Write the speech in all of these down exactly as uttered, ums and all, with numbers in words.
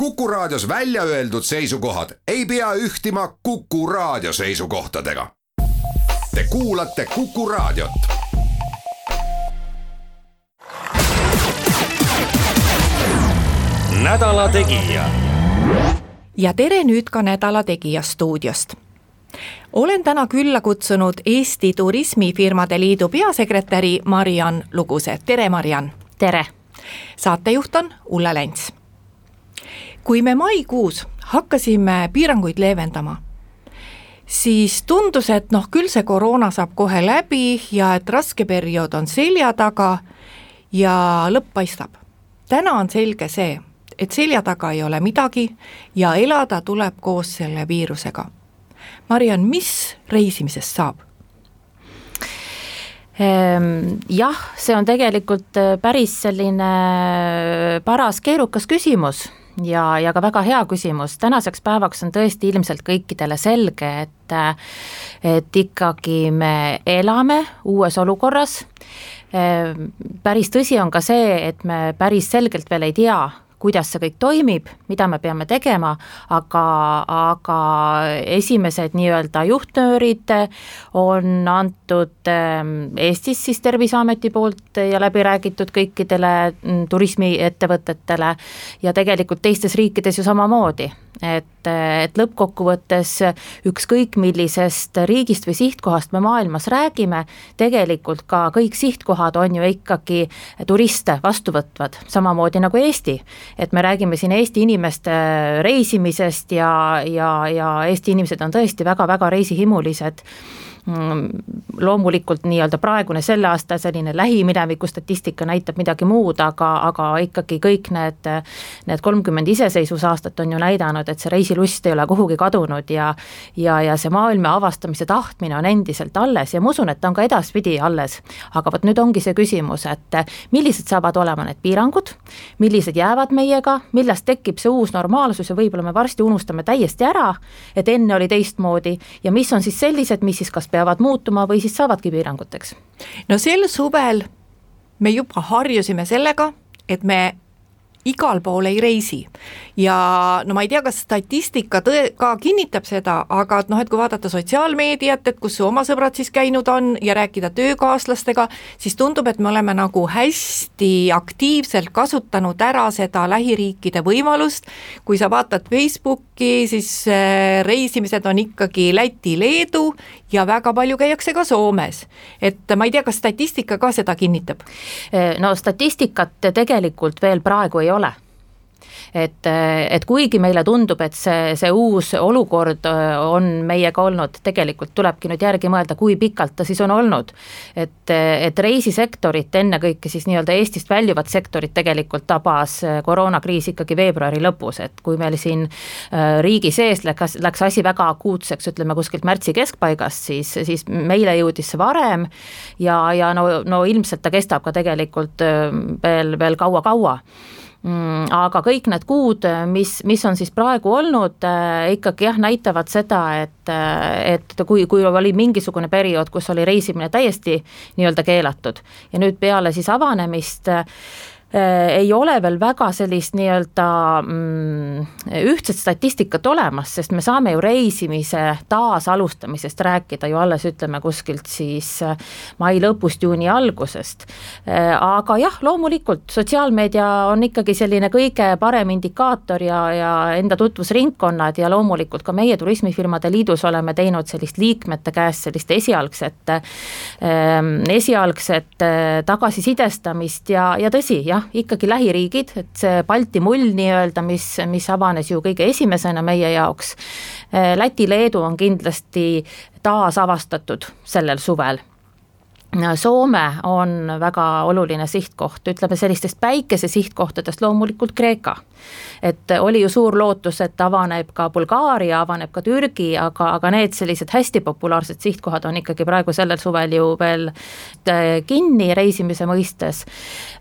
Kuku Raadios välja öeldud seisukohad ei pea ühtima Kuku Raadio seisukohtadega. Te kuulate Kuku Raadiot. Nädala Tegija. Ja tere nüüd ka Nädala Tegija stuudiost. Olen täna külla kutsunud Eesti Turismifirmade Liidu peasekretäri Mariann Luguse. Tere, Mariann! Tere! Saatejuht on Ulla Lents. Kui me maikuus hakkasime piiranguid leevendama, siis tundus, et noh, küll see koroona saab kohe läbi ja et raske periood on selja taga ja lõpp paistab. Täna on selge see, et selja taga ei ole midagi ja elada tuleb koos selle viirusega. Mariann, mis reisimisest saab? Jah, see on tegelikult päris selline paras keerukas küsimus ja, ja ka väga hea küsimus. Tänaseks päevaks on tõesti ilmselt kõikidele selge, et, et ikkagi me elame uues olukorras. Päris tõsi on ka see, et me päris selgelt veel ei tea, kuidas see kõik toimib, mida me peame tegema, aga, aga esimesed nii-öelda juhtnöörid on antud Eestis siis Terviseameti poolt ja läbi räägitud kõikidele turismiettevõtetele ja tegelikult teistes riikides ju samamoodi. Et, et lõppkokkuvõttes ükskõik millisest riigist või sihtkohast me maailmas räägime, tegelikult ka kõik sihtkohad on ju ikkagi turiste vastuvõtvad, samamoodi nagu Eesti. Et me räägime siin Eesti inimeste reisimisest ja, ja, ja Eesti inimesed on tõesti väga-väga reisihimulised. Loomulikult nii-öelda praegune selle aasta selline lähimineviku statistika näitab midagi muud, aga, aga ikkagi kõik need, need kolmkümmend iseseisvusaastat on ju näidanud, et see reisilust ei ole kuhugi kadunud ja, ja, ja see maailma avastamise tahtmine on endiselt alles ja ma usun, et ta on ka edaspidi alles. Aga võt nüüd ongi see küsimus, et millised saavad olema need piirangud, millised jäävad meiega, millest tekib see uus normaalsus ja võib-olla me varsti unustame täiesti ära, et enne oli teistmoodi ja mis on siis sellised, mis siis kas peavad muutuma või siis saavadki piiranguteks? No sel suvel me juba harjusime sellega, et me igal pool ei reisi ja no ma ei tea, kas statistika tõe, ka kinnitab seda, aga et noh, et kui vaadata sotsiaalmeediat, et kus su oma sõbrad siis käinud on ja rääkida töökaaslastega, siis tundub, et me oleme nagu hästi aktiivselt kasutanud ära seda lähiriikide võimalust. Kui sa vaatad Facebooki, siis reisimised on ikkagi Läti, Leedu ja väga palju käiakse ka Soomes. Et ma ei tea, kas statistika ka seda kinnitab? No statistikat tegelikult veel praegu ei ole. Et, et kuigi meile tundub, et see, see uus olukord on meiega olnud, tegelikult tulebki nüüd järgi mõelda, kui pikalt ta siis on olnud. Et, et reisisektorit, enne kõike siis nii-öelda Eestist väljuvat sektorit tegelikult tabas koroonakriis ikkagi veebruari lõpus, et kui meil siin riigi sees läks, läks asi väga akuutseks, ütleme kuskilt märtsi keskpaigast, siis, siis meile jõudis see varem ja, ja no, no ilmselt ta kestab ka tegelikult veel, veel kaua-kaua. Aga kõik need kuud, mis, mis on siis praegu olnud, ikkagi jah, näitavad seda, et, et kui, kui oli mingisugune periood, kus oli reisimine täiesti nii-öelda keelatud ja nüüd peale siis avanemist ei ole veel väga sellist nii-öelda mm, ühtset statistikat olemas, sest me saame ju reisimise taas alustamisest rääkida ju alles ütleme kuskilt siis mai lõpust, juuni algusest. Aga jah, loomulikult sotsiaalmeedia on ikkagi selline kõige parem indikaator ja, ja enda tutvusringkonnad ja loomulikult ka meie Turismifirmade Liidus oleme teinud sellist liikmete käest sellist esialgset, esialgset tagasisidestamist ja, ja tõsi, jah, ikkagi lähiriigid, et see Balti mull nii-öelda, mis, mis avanes ju kõige esimesena meie jaoks. Läti, Leedu on kindlasti taas avastatud sellel suvel. Soome on väga oluline sihtkoht, ütleme sellistest päikese sihtkohtadest loomulikult Kreeka. Et oli ju suur lootus, et avaneb ka Bulgaaria, avaneb ka Türgi, aga, aga need sellised hästi populaarsed sihtkohad on ikkagi praegu sellel suvel ju veel kinni reisimise mõistes.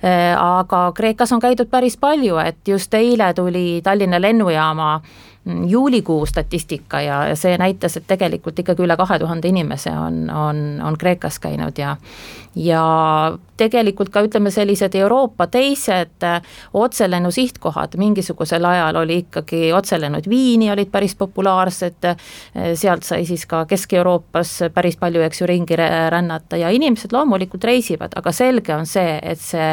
Aga Kreekas on käidud päris palju, et just eile tuli Tallinna lennujaama juulikuu statistika ja see näitas, et tegelikult ikkagi üle kahe tuhande inimese on, on, on Kreekas käinud ja, ja tegelikult ka ütleme sellised Euroopa teised otselennu sihtkohad, mingisugusel ajal oli ikkagi otselennud Viini olid päris populaarsed, sealt sai siis ka Kesk-Euroopas päris palju, eks ju, ringi rännata ja inimesed loomulikult reisivad, aga selge on see, et see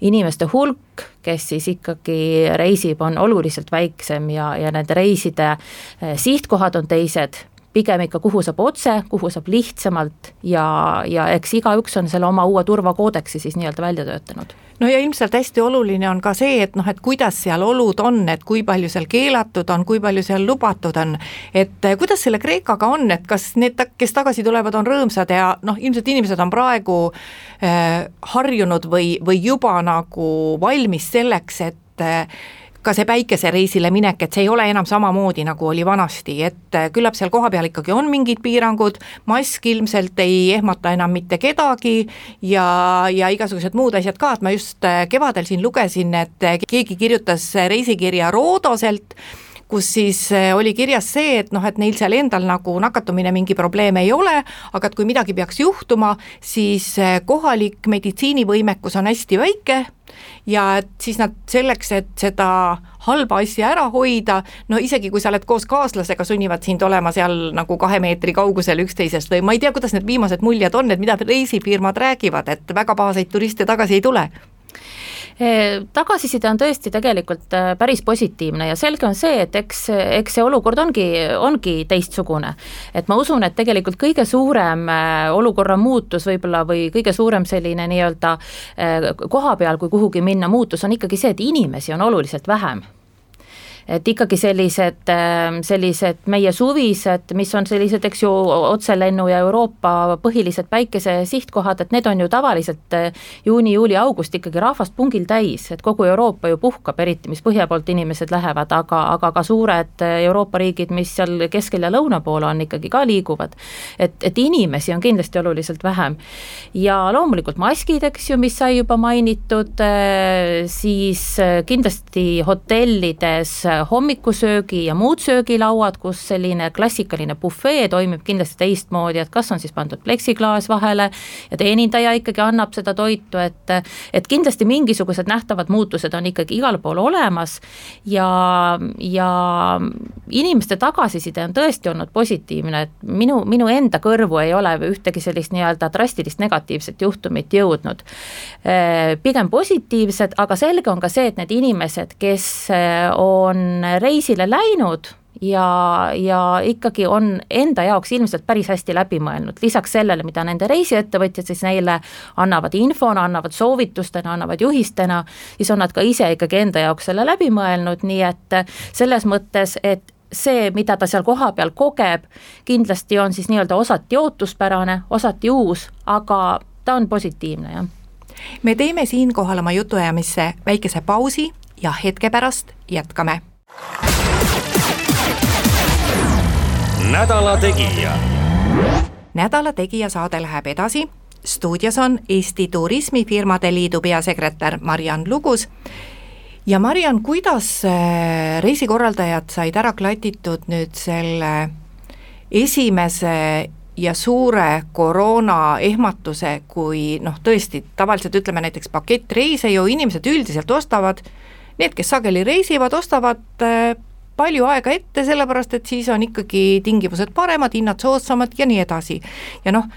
inimeste hulk, kes siis ikkagi reisib, on oluliselt väiksem ja, ja nende reiside sihtkohad on teised, pigem ikka kuhu saab otse, kuhu saab lihtsamalt ja, ja eks igaüks on selle oma uue turvakoodeksi siis nii-öelda välja töötanud. No ja ilmselt hästi oluline on ka see, et noh, et kuidas seal olud on, et kui palju seal keelatud on, kui palju seal lubatud on, et kuidas selle Kreekaga on, et kas need, kes tagasi tulevad, on rõõmsad ja noh, ilmselt inimesed on praegu äh, harjunud või, või juba nagu valmis selleks, et äh, ka see päikesereisile minek, et see ei ole enam samamoodi, nagu oli vanasti, et küllap seal kohapeal ikkagi on mingid piirangud, mask ilmselt ei ehmata enam mitte kedagi ja, ja igasugused muud asjad ka, et ma just kevadel siin lugesin, et keegi kirjutas reisikirja Roodoselt, kus siis oli kirjas see, et noh, et neil seal endal nagu nakatumine mingi probleem ei ole, aga et kui midagi peaks juhtuma, siis kohalik meditsiinivõimekus on hästi väike ja et siis nad selleks, et seda halba asja ära hoida, no isegi kui sa oled koos kaaslasega, sunnivad sind olema seal nagu kahe meetri kaugusel üksteisest või ma ei tea, kuidas need viimased muljed on, et mida reisifirmad räägivad, et väga pahaseid turiste tagasi ei tule. Tagasiside on tõesti tegelikult päris positiivne ja selge on see, et eks, eks see olukord ongi, ongi teistsugune. Et ma usun, et tegelikult kõige suurem olukorra muutus võib-olla või kõige suurem selline nii-öelda koha peal, kui kuhugi minna muutus, on ikkagi see, et inimesi on oluliselt vähem. Et ikkagi sellised, sellised meie suvised, mis on sellised, eks ju, otselennu ja Euroopa põhilised päikese sihtkohad, et need on ju tavaliselt juuni, juuli, august ikkagi rahvast pungil täis, et kogu Euroopa ju puhkab, eriti mis põhja poolt inimesed lähevad, aga, aga ka suured Euroopa riigid, mis seal keskel ja lõuna poole on, ikkagi ka liiguvad. Et, et inimesi on kindlasti oluliselt vähem. Ja loomulikult maskid, eks ju, mis sai juba mainitud, siis kindlasti hotellides hommikusöögi ja muud söögilauad, kus selline klassikaline bufee toimib kindlasti teistmoodi, et kas on siis pandud pleksiklaas vahele ja teenindaja ikkagi annab seda toitu, et, et kindlasti mingisugused nähtavad muutused on ikkagi igal pool olemas ja, ja inimeste tagasiside on tõesti olnud positiivne, et minu, minu enda kõrvu ei ole ühtegi sellist nii-öelda drastilist negatiivset juhtumit jõudnud. Pigem positiivsed, aga selge on ka see, et need inimesed, kes on reisile läinud ja, ja ikkagi on enda jaoks ilmselt päris hästi läbi mõelnud. Lisaks sellele, mida nende reisiettevõtjad siis neile annavad infona, annavad soovitustena, annavad juhistena, siis on nad ka ise ikkagi enda jaoks selle läbi mõelnud, nii et selles mõttes, et see, mida ta seal koha peal kogeb, kindlasti on siis nii-öelda osati ootuspärane, osati uus, aga ta on positiivne, jah. Me teeme siinkohal oma jutuajamisse väikese pausi ja hetke pärast jätkame. Nädala tegija. Nädala tegija saade läheb edasi. Stuudios on Eesti Turismifirmade Liidu peasekretär Mariann Lugus. Ja Mariann, kuidas reisikorraldajad said ära klatitud nüüd selle esimese ja suure koroona ehmatuse, kui noh, tõesti tavaliselt ütleme näiteks pakettreise ju inimesed üldiselt ostavad, need, kes sageli reisivad, ostavad palju aega ette, sellepärast et siis on ikkagi tingimused paremad, hinnad soodsamad ja nii edasi. Ja noh,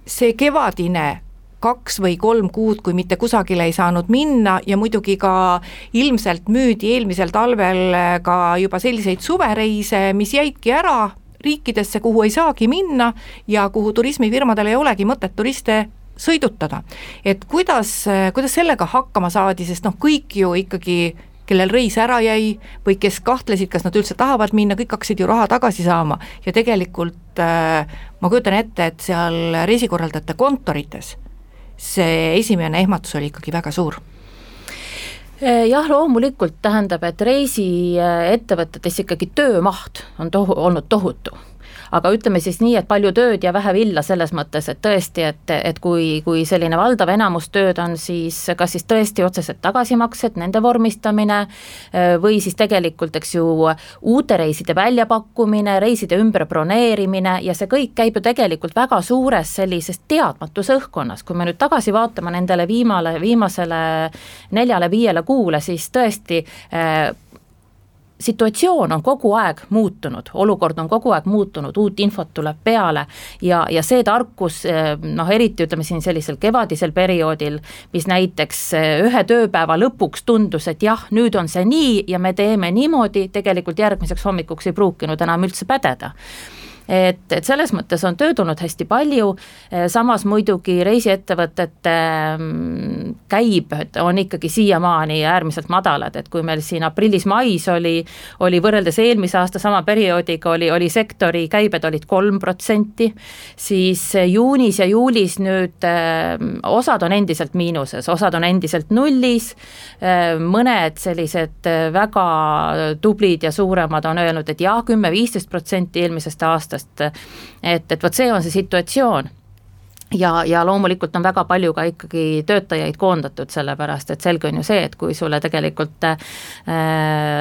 see kevadine kaks või kolm kuud, kui mitte kusagile ei saanud minna ja muidugi ka ilmselt müüdi eelmisel talvel ka juba selliseid suvereise, mis jäidki ära riikidesse, kuhu ei saagi minna ja kuhu turismifirmadel ei olegi mõtet turiste sõidutada. Et kuidas, kuidas sellega hakkama saadi, sest noh, kõik ju ikkagi, kellel reis ära jäi või kes kahtlesid, kas nad üldse tahavad minna, kõik hakkasid ju raha tagasi saama ja tegelikult äh, ma kujutan ette, et seal reisikorraldajate kontorites see esimene ehmatus oli ikkagi väga suur. Jah, loomulikult tähendab, et reisiettevõtetes ikkagi töömaht on tohu, olnud tohutu. aga ütleme siis nii, et palju tööd ja vähe villa selles mõttes, et tõesti, et, et kui, kui selline valdav enamus tööd on siis kas siis tõesti otseselt tagasimaksed, nende vormistamine või siis tegelikult, eks ju, uute reiside väljapakkumine, reiside ümber broneerimine ja see kõik käib ju tegelikult väga suures sellises teadmatuse õhkkonnas. Kui me nüüd tagasi vaatame nendele viimale, viimasele neljale-viiele kuule, siis tõesti situatsioon on kogu aeg muutunud, olukord on kogu aeg muutunud, uut infot tuleb peale ja, ja see tarkus, noh eriti ütleme siin sellisel kevadisel perioodil, mis näiteks ühe tööpäeva lõpuks tundus, et jah, nüüd on see nii ja me teeme niimoodi, tegelikult järgmiseks hommikuks ei pruukinud enam üldse pädeda. Et, et selles mõttes on tööd olnud hästi palju, samas muidugi reisiettevõtete käibed on ikkagi siiamaani äärmiselt madalad, et kui meil siin aprillis-mais oli, oli võrreldes eelmise aasta sama perioodiga oli, oli sektori käibed olid kolm protsenti, siis juunis ja juulis nüüd osad on endiselt miinuses, osad on endiselt nullis, mõned sellised väga tublid ja suuremad on öelnud, et jah, kümme-viisteist protsenti eelmisest aastast, et, et võt see on see situatsioon ja, ja loomulikult on väga palju ka ikkagi töötajaid koondatud, sellepärast et selge on ju see, et kui sulle tegelikult äh,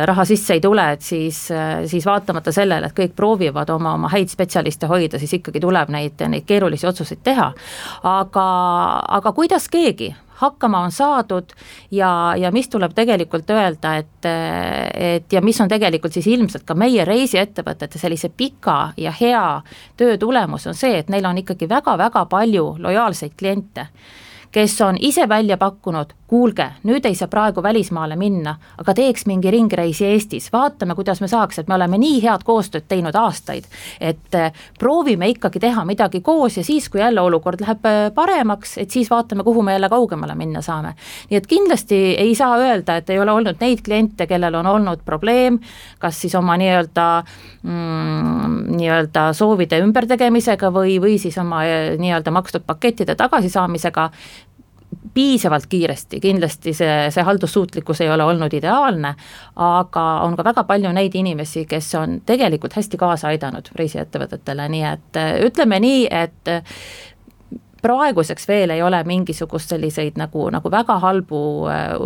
raha sisse ei tule, et siis, äh, siis vaatamata sellele, et kõik proovivad oma, oma häid spetsialiste hoida, siis ikkagi tuleb neid, neid keerulisi otsuseid teha, aga, aga kuidas keegi hakkama on saadud ja, ja mis tuleb tegelikult öelda, et, et ja mis on tegelikult siis ilmselt ka meie reisiettevõtete sellise pika ja hea töö tulemus on see, et neil on ikkagi väga-väga palju lojaalseid kliente, kes on ise välja pakkunud, kuulge, nüüd ei saa praegu välismaale minna, aga teeks mingi ringreisi Eestis, vaatame, kuidas me saaks, et me oleme nii head koostööd teinud aastaid, et proovime ikkagi teha midagi koos ja siis, kui jälle olukord läheb paremaks, et siis vaatame, kuhu me jälle kaugemale minna saame. Nii et kindlasti ei saa öelda, et ei ole olnud neid kliente, kellel on olnud probleem, kas siis oma nii-öelda, mm, nii-öelda soovide ümbertegemisega või, või siis oma nii-öelda makstud pakettide tagasisaamisega, piisavalt kiiresti, kindlasti see, see haldussuutlikkus ei ole olnud ideaalne, aga on ka väga palju neid inimesi, kes on tegelikult hästi kaasa aidanud reisiettevõtetele, nii et ütleme nii, et praeguseks veel ei ole mingisugust selliseid nagu, nagu väga halbu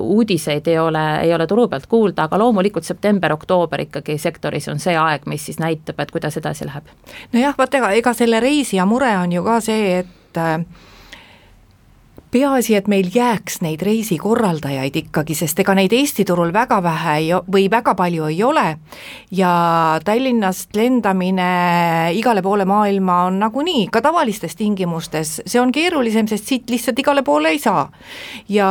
uudiseid ei ole, ei ole turu pealt kuulda, aga loomulikult september-oktoober ikkagi sektoris on see aeg, mis siis näitab, et kuidas edasi läheb. Nojah, vaat ega, ega selle reisija mure on ju ka see, et peaasi, et meil jääks neid reisikorraldajaid ikkagi, sest ega neid Eesti turul väga vähe ei, või väga palju ei ole ja Tallinnast lendamine igale poole maailma on nagunii, ka tavalistes tingimustes, see on keerulisem, sest siit lihtsalt igale poole ei saa. Ja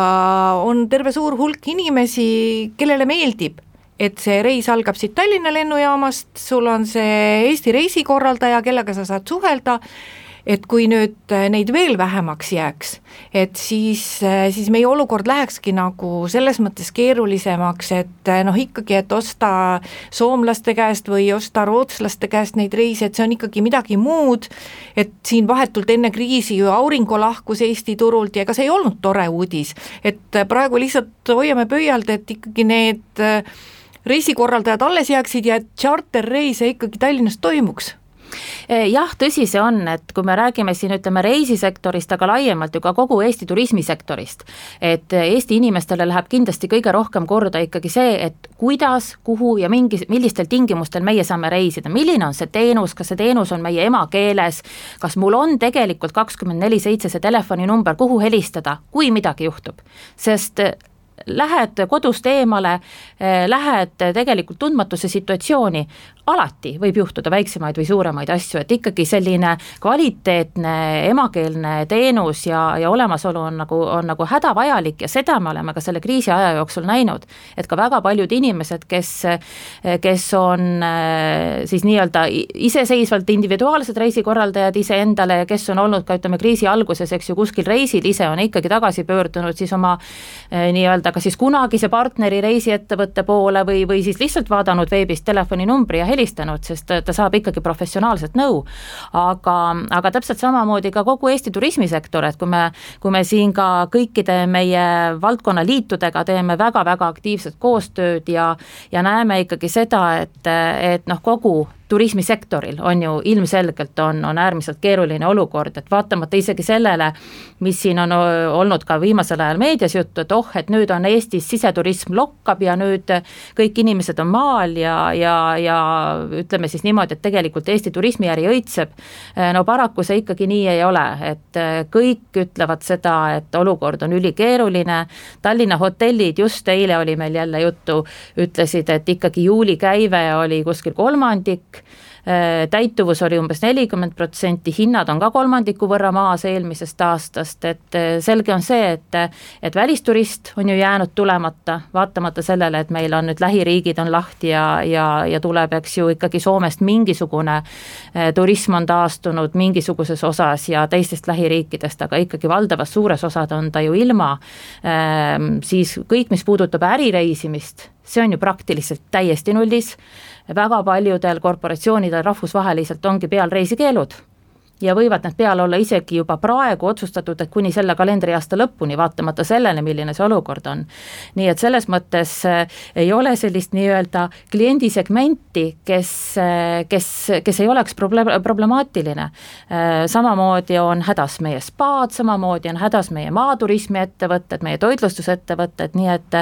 on terve suur hulk inimesi, kellele meeldib, et see reis algab siit Tallinna lennujaamast, sul on see Eesti reisikorraldaja, kellega sa saad suhelda, et kui nüüd neid veel vähemaks jääks, et siis, siis meie olukord lähekski nagu selles mõttes keerulisemaks, et noh ikkagi, et osta soomlaste käest või osta rootslaste käest neid reise, et see on ikkagi midagi muud, et siin vahetult enne kriisi ju Aurinko lahkus Eesti turult ja ega see ei olnud tore uudis, et praegu lihtsalt hoiame pöialt, et ikkagi need reisikorraldajad alles jääksid ja et charterreise ikkagi Tallinnast toimuks. Jah, tõsi see on, et kui me räägime siin ütleme reisisektorist, aga laiemalt ju ka kogu Eesti turismisektorist, et Eesti inimestele läheb kindlasti kõige rohkem korda ikkagi see, et kuidas, kuhu ja mingi, millistel tingimustel meie saame reisida, milline on see teenus, kas see teenus on meie emakeeles, kas mul on tegelikult kakskümmend neli seitse see telefoninumber, kuhu helistada, kui midagi juhtub, sest lähed kodust eemale, lähed tegelikult tundmatuse situatsiooni, alati võib juhtuda väiksemaid või suuremaid asju, et ikkagi selline kvaliteetne emakeelne teenus ja, ja olemasolu on nagu, on nagu hädavajalik ja seda me oleme ka selle kriisi aja jooksul näinud, et ka väga paljud inimesed, kes, kes on siis nii-öelda iseseisvalt individuaalsed reisikorraldajad ise endale ja kes on olnud ka ütleme kriisi alguses, eks ju kuskil reisil ise on ikkagi tagasi pöördunud siis oma nii-öelda ka siis kunagise partneri reisiettevõtte poole või, või siis lihtsalt vaadanud veebist telefoninumbri ja helistanud, sest ta saab ikkagi professionaalset nõu. Aga, aga täpselt samamoodi ka kogu Eesti turismisektor, et kui me, kui me siin ka kõikide meie valdkonnaliitudega teeme väga-väga aktiivset koostööd ja, ja näeme ikkagi seda, et, et noh, kogu turismisektoril on ju ilmselgelt on, on äärmiselt keeruline olukord, et vaatamata isegi sellele, mis siin on olnud ka viimasel ajal meedias juttu, et oh, et nüüd on Eestis siseturism lokkab ja nüüd kõik inimesed on maal ja, ja, ja ütleme siis niimoodi, et tegelikult Eesti turismiäri õitseb, no paraku see ikkagi nii ei ole, et kõik ütlevad seda, et olukord on ülikeeruline, Tallinna hotellid, just eile oli meil jälle juttu, ütlesid, et ikkagi juuli käive oli kuskil kolmandik, täituvus oli umbes nelikümmend protsenti, hinnad on ka kolmandiku võrra maas eelmisest aastast, et selge on see, et, et välisturist on ju jäänud tulemata, vaatamata sellele, et meil on nüüd lähiriigid on lahti ja, ja, ja tuleb, eks ju, ikkagi Soomest mingisugune turism on taastunud mingisuguses osas ja teistest lähiriikidest, aga ikkagi valdavas suures osad on ta ju ilma, siis kõik, mis puudutab ärireisimist, see on ju praktiliselt täiesti nullis, väga paljudel korporatsioonidel rahvusvaheliselt ongi peal reisikeelud ja võivad need peal olla isegi juba praegu otsustatud, et kuni selle kalendriaasta lõpuni, vaatamata sellele, milline see olukord on. Nii et selles mõttes ei ole sellist nii-öelda kliendisegmenti, kes, kes, kes ei oleks proble- problemaatiline. Samamoodi on hädas meie spaad, samamoodi on hädas meie maaturismi ettevõtted, meie toitlustusettevõtted, nii et,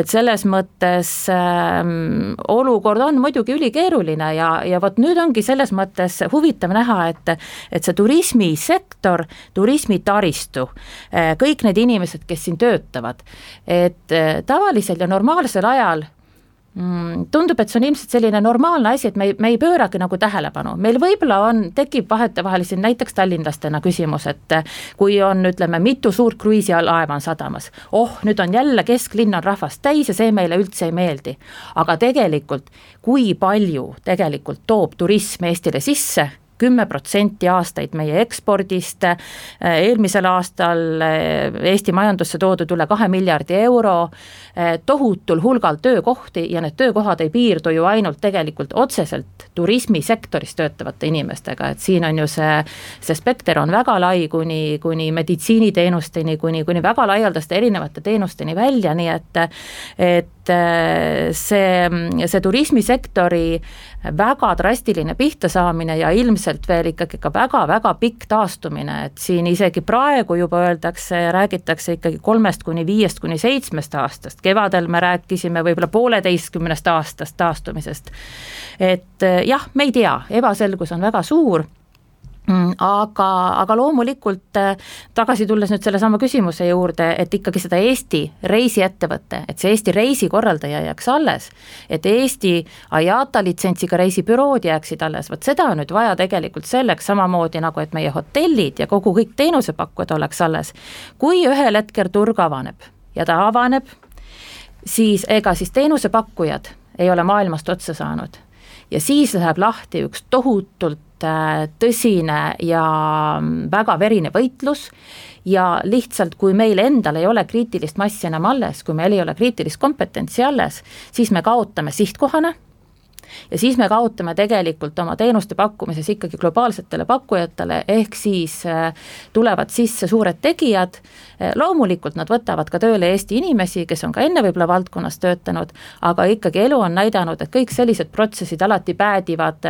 et selles mõttes ähm, olukord on muidugi ülikeeruline ja, ja vot nüüd ongi selles mõttes huvitav näha, et et see turismisektor, turismitaristu, kõik need inimesed, kes siin töötavad, et tavalisel ja normaalsel ajal tundub, et see on ilmselt selline normaalne asi, et me ei, me ei pööragi nagu tähelepanu. Meil võib-olla on, tekib vahetevahel siin näiteks tallinlastena küsimus, et kui on, ütleme, mitu suurt kruiisilaeva on sadamas, oh, nüüd on jälle kesklinn on rahvast täis ja see meile üldse ei meeldi. Aga tegelikult, kui palju tegelikult toob turism Eestile sisse, kümme protsenti aastaid meie ekspordist, eelmisel aastal Eesti majandusse toodud üle kahe miljardi euro, tohutul hulgal töökohti ja need töökohad ei piirdu ju ainult tegelikult otseselt turismisektoris töötavate inimestega, et siin on ju see, see spekter on väga lai kuni, kuni meditsiiniteenusteni, kuni, kuni väga laialdaste erinevate teenusteni välja, nii et, et see, see turismisektori väga drastiline pihta saamine ja ilmselt veel ikkagi ka väga-väga pikk taastumine, et siin isegi praegu juba öeldakse, räägitakse ikkagi kolmest kuni viiest kuni seitsmest aastast, kevadel me rääkisime võib-olla pooleteistkümnest aastast taastumisest, et jah, me ei tea, ebaselgus on väga suur, aga, aga loomulikult tagasi tulles nüüd selle sama küsimuse juurde, et ikkagi seda Eesti reisiettevõte, et see Eesti reisikorraldaja jääks alles, et Eesti I A T A litsentsiga reisibürood jääksid alles, võt seda on nüüd vaja tegelikult selleks samamoodi nagu, et meie hotellid ja kogu kõik teenusepakkujad oleks alles. Kui ühel hetkel turg avaneb ja ta avaneb, siis ega siis teenusepakkujad ei ole maailmast otsa saanud ja siis läheb lahti üks tohutult tõsine ja väga verine võitlus ja lihtsalt kui meil endal ei ole kriitilist massi enam alles, kui meil ei ole kriitilist kompetentsi alles, siis me kaotame sihtkohana ja siis me kaotame tegelikult oma teenuste pakkumises ikkagi globaalsetele pakkujatele, ehk siis tulevad sisse suured tegijad, loomulikult nad võtavad ka tööle Eesti inimesi, kes on ka enne võib-olla valdkonnas töötanud, aga ikkagi elu on näidanud, et kõik sellised protsessid alati päädivad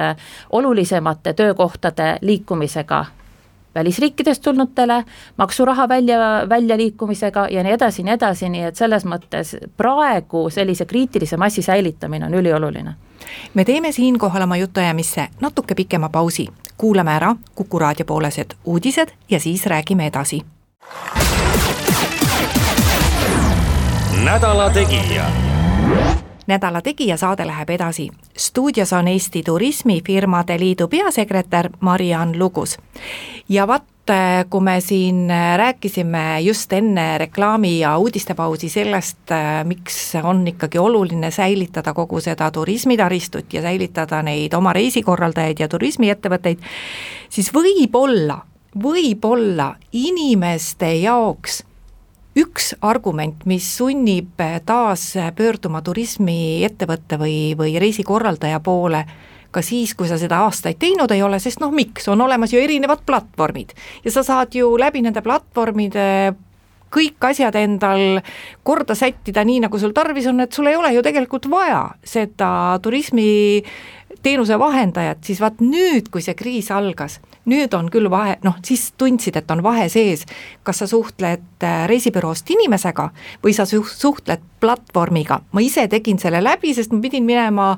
olulisemate töökohtade liikumisega välisriikidest tulnutele, maksuraha välja, välja liikumisega ja nii edasi, nii edasi, nii et selles mõttes praegu sellise kriitilise massi säilitamine on ülioluline. Me teeme siinkohal oma jutuajamisse natuke pikema pausi. Kuulame ära Kuku raadio poolesed uudised ja siis räägime edasi. Nädala tegija. Nädala tegija saade läheb edasi. Stuudios on Eesti Turismifirmade Liidu peasekretär Mariann Lugus. Ja vaat, kui me siin rääkisime just enne reklaami ja uudistepausi sellest, miks on ikkagi oluline säilitada kogu seda turismitaristut ja säilitada neid oma reisikorraldajaid ja turismiettevõtteid, siis võib-olla, võib-olla inimeste jaoks üks argument, mis sunnib taas pöörduma turismiettevõtte või, või reisikorraldaja poole ka siis, kui sa seda aastaid teinud ei ole, sest noh, miks, on olemas ju erinevad platvormid ja sa saad ju läbi nende platvormide kõik asjad endal korda sättida nii, nagu sul tarvis on, et sul ei ole ju tegelikult vaja seda turismi teenuse vahendajad, siis vaat nüüd, kui see kriis algas, nüüd on küll vahe, noh siis tundsid, et on vahe sees, kas sa suhtled reisibüroost inimesega või sa suhtled platvormiga. Ma ise tegin selle läbi, sest ma pidin minema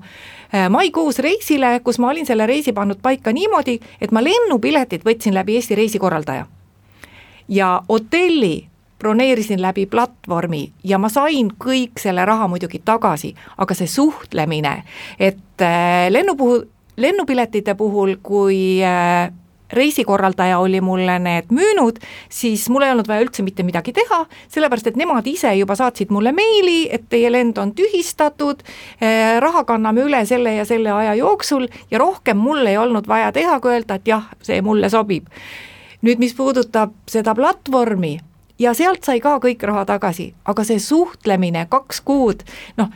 maikuus reisile, kus ma olin selle reisi pannud paika niimoodi, et ma lennupiletit võtsin läbi Eesti reisikorraldaja. Ja hotelli broneerisin läbi platvormi ja ma sain kõik selle raha muidugi tagasi, aga see suhtlemine, et lennu puhul, lennupiletite puhul, kui reisikorraldaja oli mulle need müünud, siis mul ei olnud vaja üldse mitte midagi teha, sellepärast et nemad ise juba saatsid mulle meili, et teie lend on tühistatud, raha kanname üle selle ja selle aja jooksul ja rohkem mul ei olnud vaja teha, kui öelda, et jah, see mulle sobib. Nüüd, mis puudutab seda platvormi, ja sealt sai ka kõik raha tagasi, aga see suhtlemine kaks kuud, noh,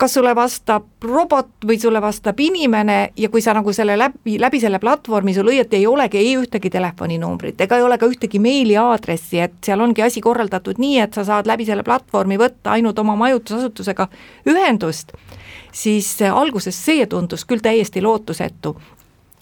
kas sulle vastab robot või sulle vastab inimene ja kui sa nagu selle läbi, läbi selle platvormi sul õieti ei olegi ei ühtegi telefoninumbrit, ega ei ole ka ühtegi meili aadressi, et seal ongi asi korraldatud nii, et sa saad läbi selle platvormi võtta ainult oma majutusasutusega ühendust, siis alguses see tundus küll täiesti lootusetu.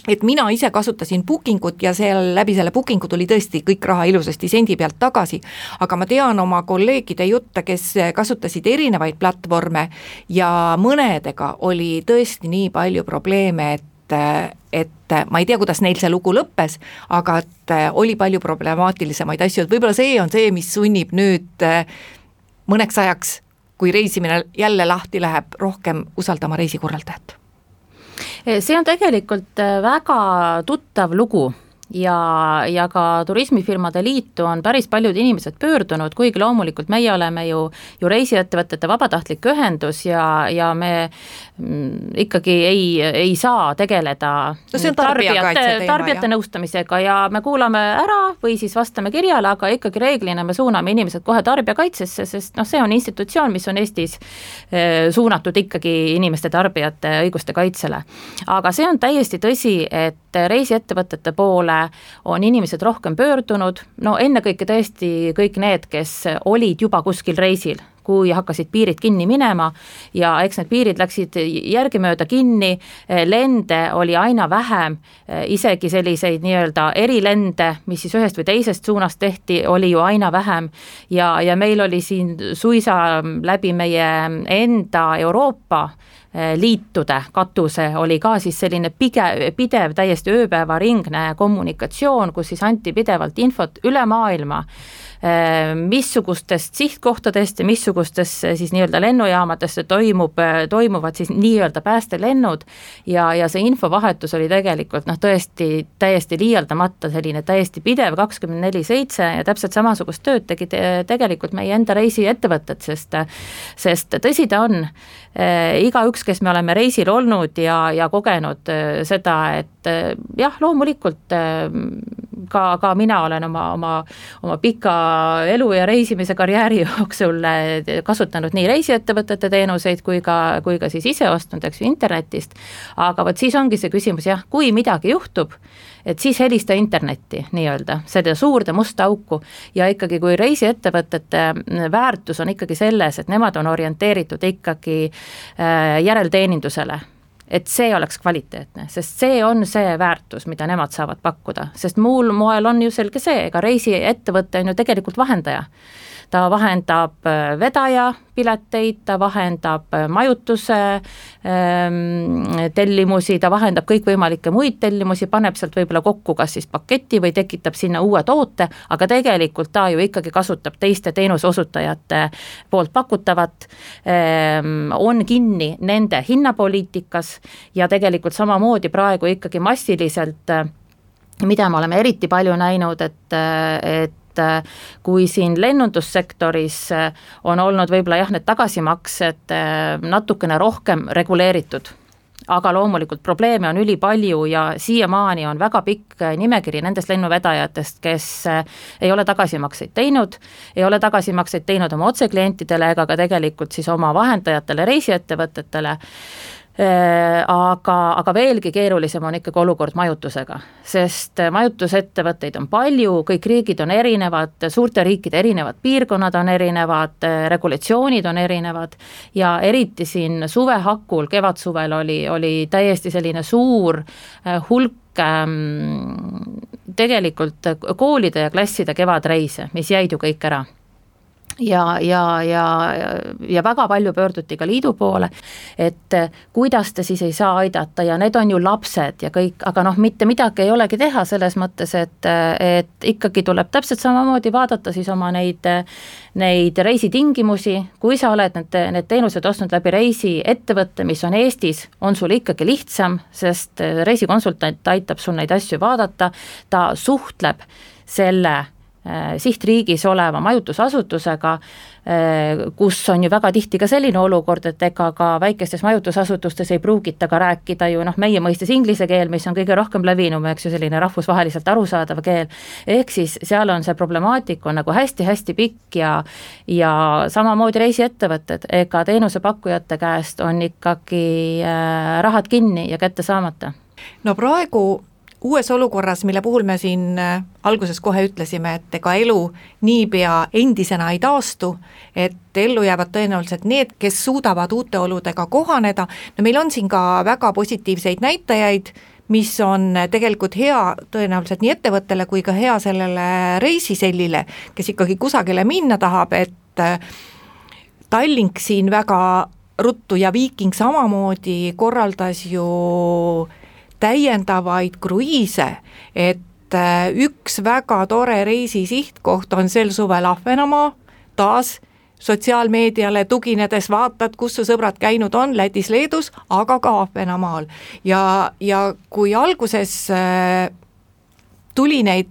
Et mina ise kasutasin bookingut ja seal läbi selle bookingu tuli tõesti kõik raha ilusasti sendi pealt tagasi, aga ma tean oma kolleegide jutte, kes kasutasid erinevaid platvorme ja mõnedega oli tõesti nii palju probleeme, et, et ma ei tea, kuidas neil see lugu lõppes, aga et oli palju problemaatilisemaid asju, et võib-olla see on see, mis sunnib nüüd mõneks ajaks, kui reisimine jälle lahti läheb, rohkem usaldama reisikorraldajat. See on tegelikult väga tuttav lugu ja, ja ka turismifirmade liitu on päris paljud inimesed pöördunud, kuigi loomulikult meie oleme ju, ju reisiettevõtete vabatahtlik ühendus ja, ja me mm, ikkagi ei, ei saa tegeleda no tarbijate, tarbijate nõustamisega ja me kuulame ära või siis vastame kirjale, aga ikkagi reeglina me suuname inimesed kohe tarbijakaitsesse, sest noh, see on institutsioon, mis on Eestis eh, suunatud ikkagi inimeste tarbijate õiguste kaitsele. Aga see on täiesti tõsi, et reisiettevõtete poole on inimesed rohkem pöördunud, no ennekõike tõesti kõik need, kes olid juba kuskil reisil, kui hakkasid piirid kinni minema ja eks need piirid läksid järgimööda kinni, lende oli aina vähem, isegi selliseid nii-öelda erilende, mis siis ühest või teisest suunast tehti, oli ju aina vähem ja, ja meil oli siin suisa läbi meie enda Euroopa liitude katuse oli ka siis selline pige, pidev, täiesti ööpäevaringne kommunikatsioon, kus siis anti pidevalt infot üle maailma, missugustest sihtkohtadest ja missugustest siis nii-öelda lennujaamadest toimub, toimuvad siis nii-öelda päästelennud ja, ja see infovahetus oli tegelikult noh, tõesti täiesti liialdamata selline täiesti pidev kakskümmend neli seitse ja täpselt samasugust tööd tegi te, tegelikult meie enda reisiettevõtted, sest, sest tõsi ta on, igaüks, kes me oleme reisil olnud ja, ja kogenud seda, et jah, loomulikult ka, ka mina olen oma, oma, oma pika elu ja reisimise karjääri jooksul kasutanud nii reisiettevõtete teenuseid kui ka, kui ka siis ise ostnud, eks ju, internetist, aga võt siis ongi see küsimus, jah, kui midagi juhtub, et siis helista internetti nii-öelda, seda suurde musta auku ja ikkagi kui reisiettevõtete väärtus on ikkagi selles, et nemad on orienteeritud ikkagi järelteenindusele, et see oleks kvaliteetne, sest see on see väärtus, mida nemad saavad pakkuda, sest muul moel on ju selge see, ega reisiettevõte on ju tegelikult vahendaja. Ta vahendab vedaja pileteid, ta vahendab majutuse ähm, tellimusi, ta vahendab kõikvõimalikke muid tellimusi, paneb sealt võib-olla kokku kas siis paketi või tekitab sinna uue toote, aga tegelikult ta ju ikkagi kasutab teiste teenusosutajate poolt pakutavat, ähm, on kinni nende hinnapoliitikas ja tegelikult samamoodi praegu ikkagi massiliselt, mida me oleme eriti palju näinud, et, et kui siin lennundussektoris on olnud võib-olla jah, need tagasimaksed natukene rohkem reguleeritud, aga loomulikult probleeme on ülipalju ja siiamaani on väga pikk nimekiri nendest lennuvedajatest, kes ei ole tagasimakseid teinud, ei ole tagasimakseid teinud oma otseklientidele ega ka tegelikult siis oma vahendajatele, reisiettevõtetele. Aga, aga veelgi keerulisem on ikkagi olukord majutusega, sest majutusettevõtteid on palju, kõik riigid on erinevad, suurte riikide erinevad piirkonnad on erinevad, regulatsioonid on erinevad ja eriti siin suve hakul, kevadsuvel oli, oli täiesti selline suur hulk tegelikult koolide ja klasside kevadreise, mis jäid ju kõik ära. Ja, ja, ja, ja väga palju pöörduti ka liidu poole, et kuidas te siis ei saa aidata ja need on ju lapsed ja kõik, aga noh, mitte midagi ei olegi teha selles mõttes, et, et ikkagi tuleb täpselt samamoodi vaadata siis oma neid, neid reisitingimusi, kui sa oled need, need teenused ostnud läbi reisiettevõtte, mis on Eestis, on sul ikkagi lihtsam, sest reisikonsultant aitab sul neid asju vaadata, ta suhtleb selle sihtriigis oleva majutusasutusega, kus on ju väga tihti ka selline olukord, et ega ka väikestes majutusasutustes ei pruugita ka rääkida ju noh, meie mõistes inglise keel, mis on kõige rohkem levinum, eks ju, selline rahvusvaheliselt arusaadav keel, ehk siis seal on see problemaatik on nagu hästi-hästi pikk ja ja samamoodi reisiettevõtted, ega teenusepakkujate käest on ikkagi rahad kinni ja kätte saamata. No praegu uues olukorras, mille puhul me siin alguses kohe ütlesime, et ega elu niipea endisena ei taastu, et ellu jäävad tõenäoliselt need, kes suudavad uute oludega kohaneda. No meil on siin ka väga positiivseid näitajaid, mis on tegelikult hea tõenäoliselt nii ettevõttele kui ka hea sellele reisisellile, kes ikkagi kusagile minna tahab, et Tallink siin väga ruttu ja Viiking samamoodi korraldas ju täiendavaid kruiise, et üks väga tore reisi sihtkoht on sel suvel Ahvenamaa, taas sotsiaalmeediale tuginedes vaatad, kus su sõbrad käinud on, Lätis, Leedus, aga ka Ahvenamaal. Ja, ja kui alguses tuli neid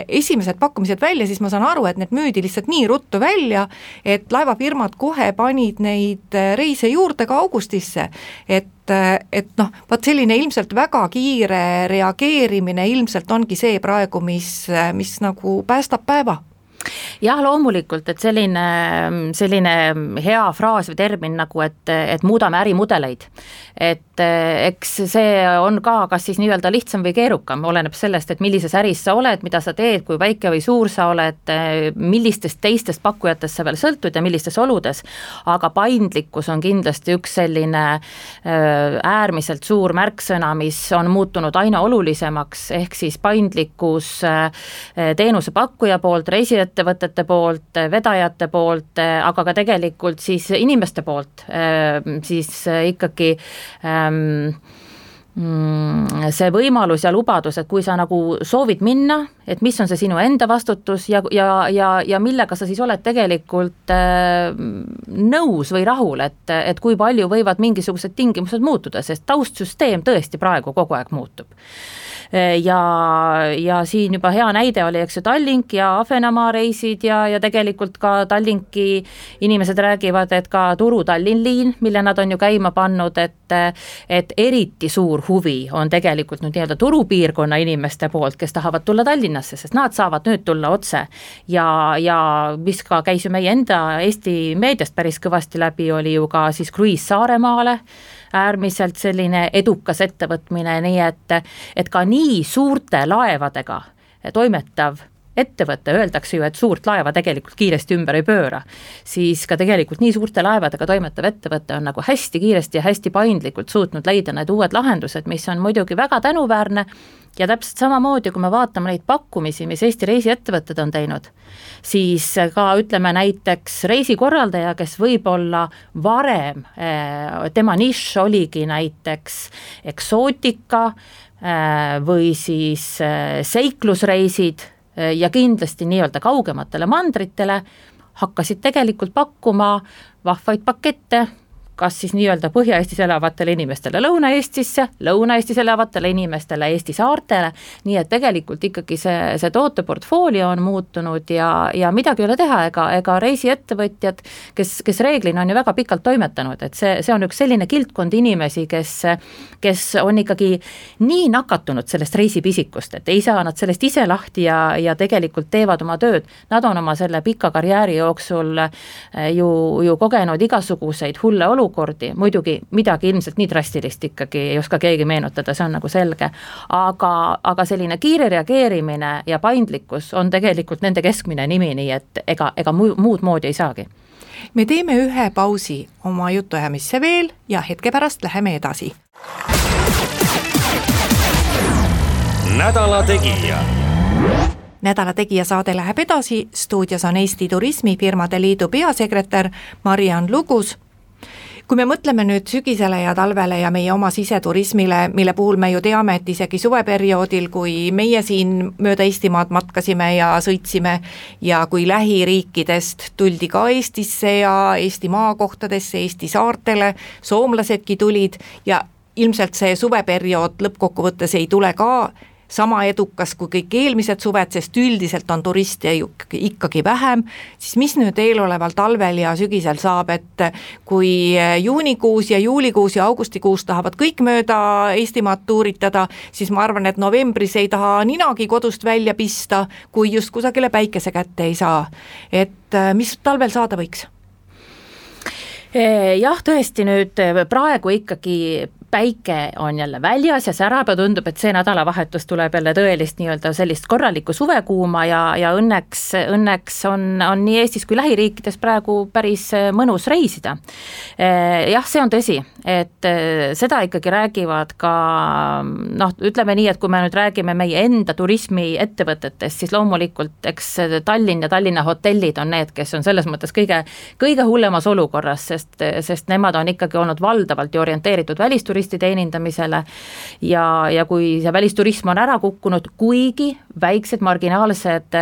esimesed pakkumised välja, siis ma saan aru, et need müüdi lihtsalt nii ruttu välja, et laevafirmad kohe panid neid reise juurde ka augustisse, et, et noh, vaat selline ilmselt väga kiire reageerimine ilmselt ongi see praegu, mis, mis nagu päästab päeva. Jah, loomulikult, et selline, selline hea fraas või termin nagu, et, et muudame ärimudeleid. Et eks see on ka kas siis nii-öelda lihtsam või keerukam, oleneb sellest, et millises äris sa oled, mida sa teed, kui väike või suur sa oled, millistest teistest pakkujatest sa veel sõltud ja millistes oludes, aga paindlikkus on kindlasti üks selline äärmiselt suur märksõna, mis on muutunud aina olulisemaks, ehk siis paindlikkus teenusepakkuja poolt, reisiettevõtete poolt, vedajate poolt, aga ka tegelikult siis inimeste poolt, siis ikkagi see võimalus ja lubadus, et kui sa nagu soovid minna, et mis on see sinu enda vastutus ja, ja, ja, ja millega sa siis oled tegelikult nõus või rahul, et, et kui palju võivad mingisugused tingimused muutuda, sest taustsüsteem tõesti praegu kogu aeg muutub. Ja, ja siin juba hea näide oli, eks ju, Tallink ja Ahvenamaa reisid ja, ja tegelikult ka Tallinki inimesed räägivad, et ka Turu-Tallinn liin, mille nad on ju käima pannud, et, et eriti suur huvi on tegelikult nüüd nii-öelda turupiirkonna inimeste poolt, kes tahavad tulla Tallinnasse, sest nad saavad nüüd tulla otse ja, ja mis ka käis ju meie enda Eesti meediast päris kõvasti läbi, oli ju ka siis kruiis Saaremaale, äärmiselt selline edukas ettevõtmine, nii et, et ka nii suurte laevadega toimetav ettevõte, öeldakse ju, et suurt laeva tegelikult kiiresti ümber ei pööra, siis ka tegelikult nii suurte laevadega toimetav ettevõte on nagu hästi kiiresti ja hästi paindlikult suutnud leida need uued lahendused, mis on muidugi väga tänuväärne ja täpselt samamoodi, kui me vaatame neid pakkumisi, mis Eesti reisiettevõtted on teinud, siis ka ütleme näiteks reisikorraldaja, kes võib-olla varem, tema nišš oligi näiteks eksootika või siis seiklusreisid ja kindlasti nii-öelda kaugematele mandritele, hakkasid tegelikult pakkuma vahvaid pakette, kas siis nii-öelda Põhja-Eestis elavatele inimestele Lõuna-Eestisse, Lõuna-Eestis elavatele inimestele Eesti saartele, nii et tegelikult ikkagi see, see tooteportfoolio on muutunud ja, ja midagi ei ole teha, ega, ega reisiettevõtjad, kes, kes reeglina on ju väga pikalt toimetanud, et see, see on üks selline kildkond inimesi, kes, kes on ikkagi nii nakatunud sellest reisipisikust, et ei saa nad sellest ise lahti ja, ja tegelikult teevad oma tööd, nad on oma selle pika karjääri jooksul ju, ju kogenud igasuguseid hulle olukorda, olukordi, muidugi midagi ilmselt nii drastilist ikkagi ei oska keegi meenutada, see on nagu selge, aga, aga selline kiire reageerimine ja paindlikkus on tegelikult nende keskmine nimi, nii et ega, ega muud moodi ei saagi. Me teeme ühe pausi oma jutuajamisse veel ja hetke pärast läheme edasi. Nädala Tegija. Nädala Tegija saade läheb edasi, stuudios on Eesti Turismifirmade Liidu peasekretär Mariann Lugus. Kui me mõtleme nüüd sügisele ja talvele ja meie oma siseturismile, mille puhul me ju teame, et isegi suveperioodil, kui meie siin mööda Eestimaad matkasime ja sõitsime ja kui lähiriikidest tuldi ka Eestisse ja Eesti maakohtadesse, Eesti saartele, soomlasedki tulid ja ilmselt see suveperiood lõppkokkuvõttes ei tule ka sama edukas kui kõik eelmised suved, sest üldiselt on turiste ikkagi vähem, siis mis nüüd eeloleval talvel ja sügisel saab, et kui juunikuus ja juulikuus ja augustikuus tahavad kõik mööda Eestimaad tuuritada, siis ma arvan, et novembris ei taha ninagi kodust välja pista, kui just kusagile päikese kätte ei saa. Et mis talvel saada võiks? Jah, tõesti nüüd praegu ikkagi päike on jälle väljas ja särab ja tundub, et see nädalavahetus tuleb jälle tõelist nii-öelda sellist korralikku suvekuuma ja, ja õnneks, õnneks on, on nii Eestis kui lähiriikides praegu päris mõnus reisida. Jah, see on tõsi, et seda ikkagi räägivad ka, noh, ütleme nii, et kui me nüüd räägime meie enda turismiettevõtetest, siis loomulikult eks Tallinn ja Tallinna hotellid on need, kes on selles mõttes kõige, kõige hullemas olukorras, sest, sest nemad on ikkagi olnud valdavalt ja orienteeritud välisturistid teenindamisele ja, ja kui see välisturism on ära kukkunud, kuigi väiksed marginaalsed,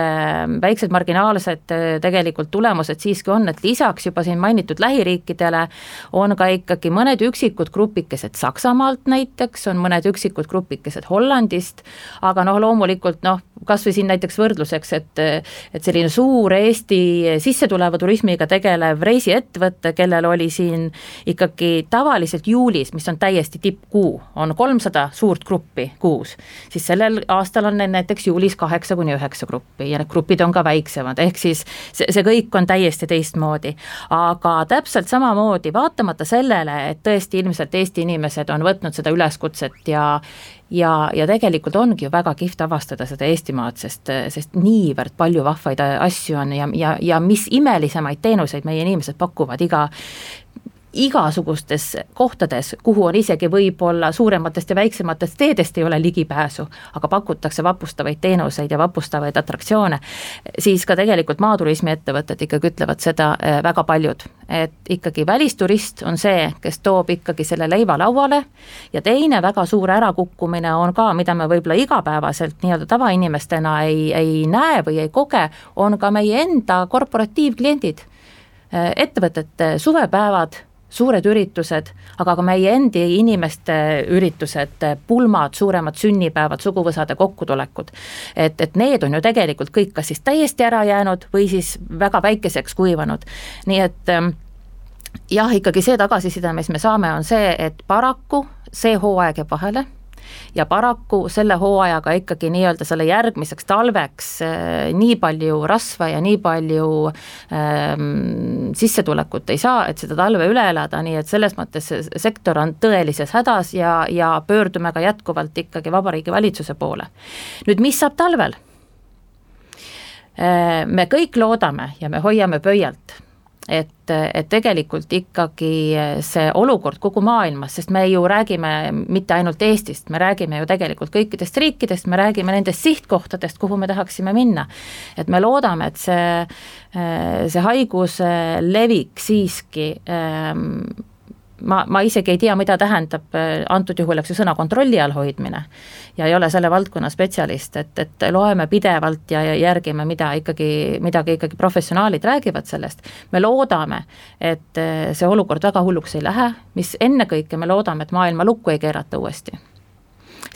väiksed marginaalsed tegelikult tulemused siiski on, et lisaks juba siin mainitud lähiriikidele on ka ikkagi mõned üksikud grupikesed Saksamaalt näiteks, on mõned üksikud grupikesed Hollandist, aga noh, loomulikult noh, kas või siin näiteks võrdluseks, et, et selline suur Eesti sissetuleva turismiga tegelev reisiettevõte, kellel oli siin ikkagi tavaliselt juulis, mis on täiesti tippkuu, on kolmsada suurt gruppi kuus, siis sellel aastal on näiteks juulis kaheksa kuni üheksa gruppi ja need grupid on ka väiksemad, ehk siis see, see kõik on täiesti teistmoodi. Aga täpselt samamoodi, vaatamata sellele, et tõesti ilmselt Eesti inimesed on võtnud seda üleskutset ja ja, ja tegelikult ongi ju väga kihvt avastada seda Eestimaad, sest, sest niivõrd palju vahvaid asju on ja, ja, ja mis imelisemaid teenuseid meie inimesed pakuvad iga igasugustes kohtades, kuhu on isegi võib-olla suurematest ja väiksematest teedest ei ole ligipääsu, aga pakutakse vapustavaid teenuseid ja vapustavaid atraktsioone, siis ka tegelikult maaturismi ettevõtted ikkagi ütlevad seda väga paljud, et ikkagi välisturist on see, kes toob ikkagi selle leiva lauale ja teine väga suur ärakukkumine on ka, mida me võib-olla igapäevaselt nii-öelda tavainimestena ei, ei näe või ei koge, on ka meie enda korporatiivkliendid, ettevõtete suvepäevad, suured üritused, aga ka meie endi inimeste üritused, pulmad, suuremad sünnipäevad, suguvõsade kokkutulekud. Et, et need on ju tegelikult kõik kas siis täiesti ära jäänud või siis väga väikeseks kuivanud. Nii et jah, ikkagi see tagasiside, mis me saame, on see, et paraku see hooaeg jääb vahele ja paraku selle hooajaga ikkagi nii-öelda selle järgmiseks talveks äh, nii palju rasva ja nii palju ähm, sissetulekut ei saa, et seda talve üle elada, nii et selles mõttes sektor on tõelises hädas ja, ja pöördume ka jätkuvalt ikkagi Vabariigi valitsuse poole. Nüüd, mis saab talvel? Äh, me kõik loodame ja me hoiame pöialt, et, et tegelikult ikkagi see olukord kogu maailmas, sest me ju räägime mitte ainult Eestist, me räägime ju tegelikult kõikidest riikidest, me räägime nendest sihtkohtadest, kuhu me tahaksime minna. Et me loodame, et see, see haiguse levik siiski ähm, ma, ma isegi ei tea, mida tähendab antud juhul eks ju sõna kontrolli all hoidmine ja ei ole selle valdkonna spetsialist, et, et loeme pidevalt ja, ja järgime, mida ikkagi, midagi ikkagi professionaalid räägivad sellest. Me loodame, et see olukord väga hulluks ei lähe, mis ennekõike me loodame, et maailma lukku ei keerata uuesti.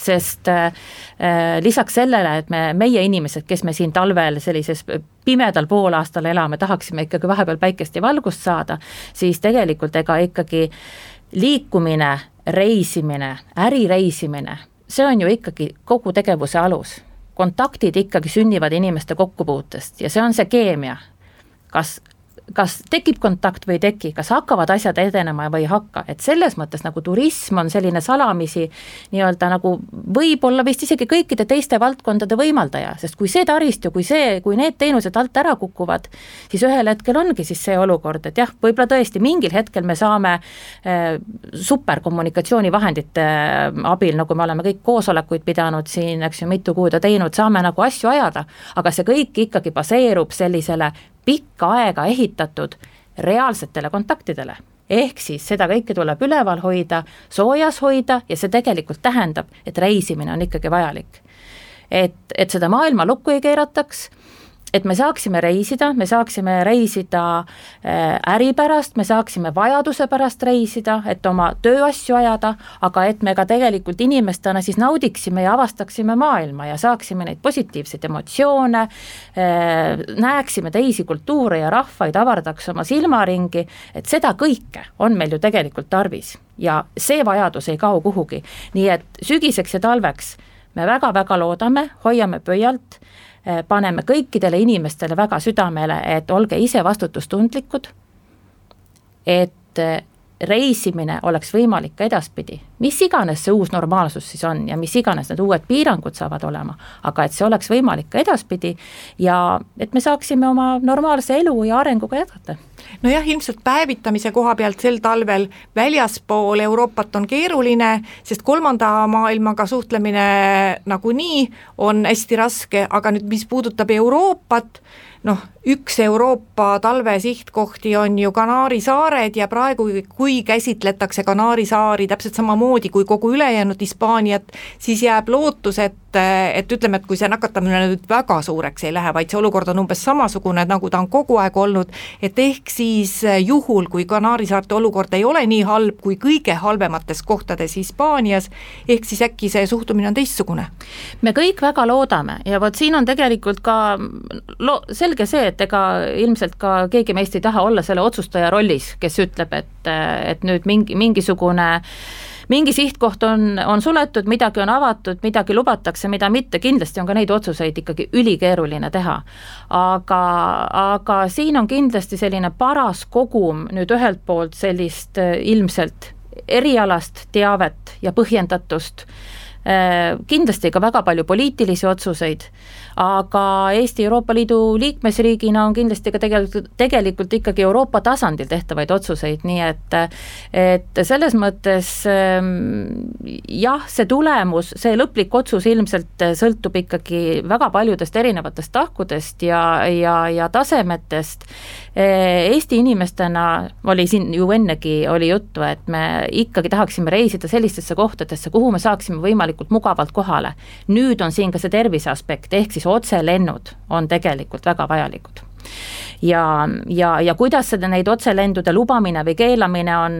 Sest äh, lisaks sellele, et me, meie inimesed, kes me siin talvel sellises pimedal poolaastal elame, tahaksime ikkagi vahepeal päikest ja valgust saada, siis tegelikult ega ikkagi liikumine, reisimine, ärireisimine, see on ju ikkagi kogu tegevuse alus. Kontaktid ikkagi sünnivad inimeste kokkupuutest ja see on see keemia. Kas kas tekib kontakt või ei teki, kas hakkavad asjad edenema või ei hakka, et selles mõttes nagu turism on selline salamisi nii-öelda nagu võib-olla vist isegi kõikide teiste valdkondade võimaldaja, sest kui see taristu, kui see, kui need teenused alt ära kukuvad, siis ühel hetkel ongi siis see olukord, et jah, võib-olla tõesti mingil hetkel me saame äh, superkommunikatsioonivahendite abil, nagu me oleme kõik koosolekuid pidanud siin, eks ju, mitu kuud teinud, saame nagu asju ajada, aga see kõik ikkagi baseerub sellisele pikka aega ehitatud reaalsetele kontaktidele. Ehk siis seda kõike tuleb üleval hoida, soojas hoida ja see tegelikult tähendab, et reisimine on ikkagi vajalik. Et, et seda maailma lukku ei keerataks, et me saaksime reisida, me saaksime reisida äri pärast, me saaksime vajaduse pärast reisida, et oma tööasju ajada, aga et me ka tegelikult inimestena siis naudiksime ja avastaksime maailma ja saaksime neid positiivseid emotsioone, näeksime teisi kultuure ja rahvaid, avardaks oma silmaringi, et seda kõike on meil ju tegelikult tarvis ja see vajadus ei kao kuhugi. Nii et sügiseks ja talveks me väga-väga loodame, hoiame pöialt, paneme kõikidele inimestele väga südamele, et olge ise vastutustundlikud, et reisimine oleks võimalik ka edaspidi. Mis iganes see uus normaalsus siis on ja mis iganes need uued piirangud saavad olema, aga et see oleks võimalik ka edaspidi ja et me saaksime oma normaalse elu ja arenguga jätkata. Nojah, ilmselt päevitamise koha pealt sel talvel väljaspool Euroopat on keeruline, sest kolmanda maailmaga suhtlemine nagunii on hästi raske, aga nüüd mis puudutab Euroopat, noh, üks Euroopa talve sihtkohti on ju Kanaari saared ja praegu, kui käsitletakse Kanaari saari täpselt samamoodi kui kogu ülejäänud Hispaaniat, siis jääb lootus, et, et ütleme, et kui see nakatamine nüüd väga suureks ei lähe, vaid see olukord on umbes samasugune, nagu ta on kogu aeg olnud, et ehk siis juhul, kui Kanaari saarte olukord ei ole nii halb kui kõige halvemates kohtades Hispaanias, ehk siis äkki see suhtumine on teistsugune. Me kõik väga loodame ja vot siin on tegelikult ka lo- selge see, et ega ilmselt ka keegi meist ei taha olla selle otsustaja rollis, kes ütleb, et, et nüüd mingi, mingisugune mingi sihtkoht on, on suletud, midagi on avatud, midagi lubatakse, mida mitte, kindlasti on ka neid otsuseid ikkagi ülikeeruline teha. Aga, aga siin on kindlasti selline paras kogum nüüd ühelt poolt sellist ilmselt erialast teavet ja põhjendatust, kindlasti ka väga palju poliitilisi otsuseid, aga Eesti Euroopa Liidu liikmesriigina on kindlasti ka tegelikult, tegelikult ikkagi Euroopa tasandil tehtavaid otsuseid, nii et, et selles mõttes jah, see tulemus, see lõplik otsus ilmselt sõltub ikkagi väga paljudest erinevatest tahkudest ja, ja, ja tasemetest. Eesti inimestena oli siin ju ennegi oli juttu, et me ikkagi tahaksime reisida sellistesse kohtadesse, kuhu me saaksime võimalikult mugavalt kohale. Nüüd on siin ka see tervise aspekt, ehk siis otselennud on tegelikult väga vajalikud. Ja, ja, ja kuidas seda neid otselendude lubamine või keelamine on,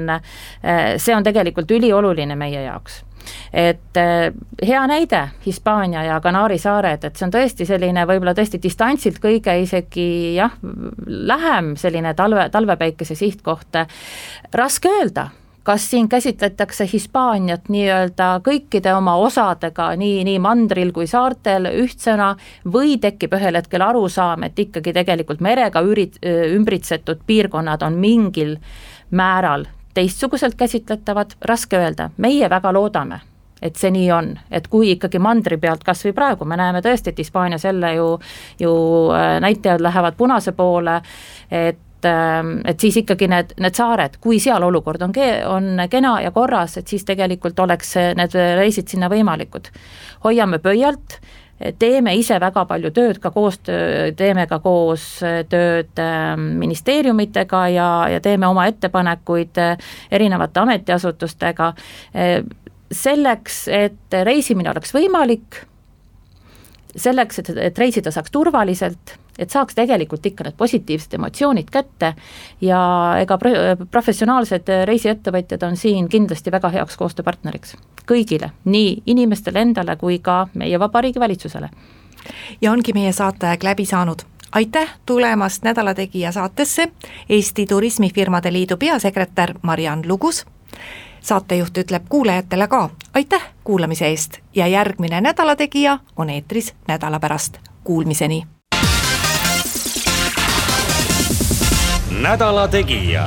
see on tegelikult ülioluline meie jaoks. Et hea näide Hispaania ja Kanaari saared, et see on tõesti selline võib-olla tõesti distantsilt kõige isegi jah, lähem selline talve, talvepäikese sihtkoht. Raske öelda, kas siin käsitletakse Hispaaniat nii-öelda kõikide oma osadega, nii, nii mandril kui saartel ühtsena, või tekib ühel hetkel arusaam, et ikkagi tegelikult merega ürit, ümbritsetud piirkonnad on mingil määral teistsuguselt käsitletavad, raske öelda, meie väga loodame, et see nii on, et kui ikkagi mandri pealt kas või praegu, me näeme tõesti, et Hispaanias jälle ju, ju näitajad lähevad punase poole, et et siis ikkagi need, need saared, kui seal olukord on, on kena ja korras, et siis tegelikult oleks need reisid sinna võimalikud. Hoiame pöialt, teeme ise väga palju tööd, ka koostöö, teeme ka koos tööd ministeeriumitega ja, ja teeme oma ettepanekuid erinevate ametiasutustega selleks, et reisimine oleks võimalik, selleks, et, et reisida saaks turvaliselt, et saaks tegelikult ikka need positiivsed emotsioonid kätte ja ega professionaalsed reisiettevõtjad on siin kindlasti väga heaks koostööpartneriks kõigile, nii inimestele endale kui ka meie vabariigi valitsusele. Ja ongi meie saateaeg läbi saanud. Aitäh tulemast Nädalategija saatesse Eesti Turismifirmade Liidu peasekretär Mariann Lugus. Saatejuht ütleb kuulajatele ka aitäh kuulamise eest ja järgmine Nädalategija on eetris nädala pärast. Kuulmiseni! Nädala Tegija.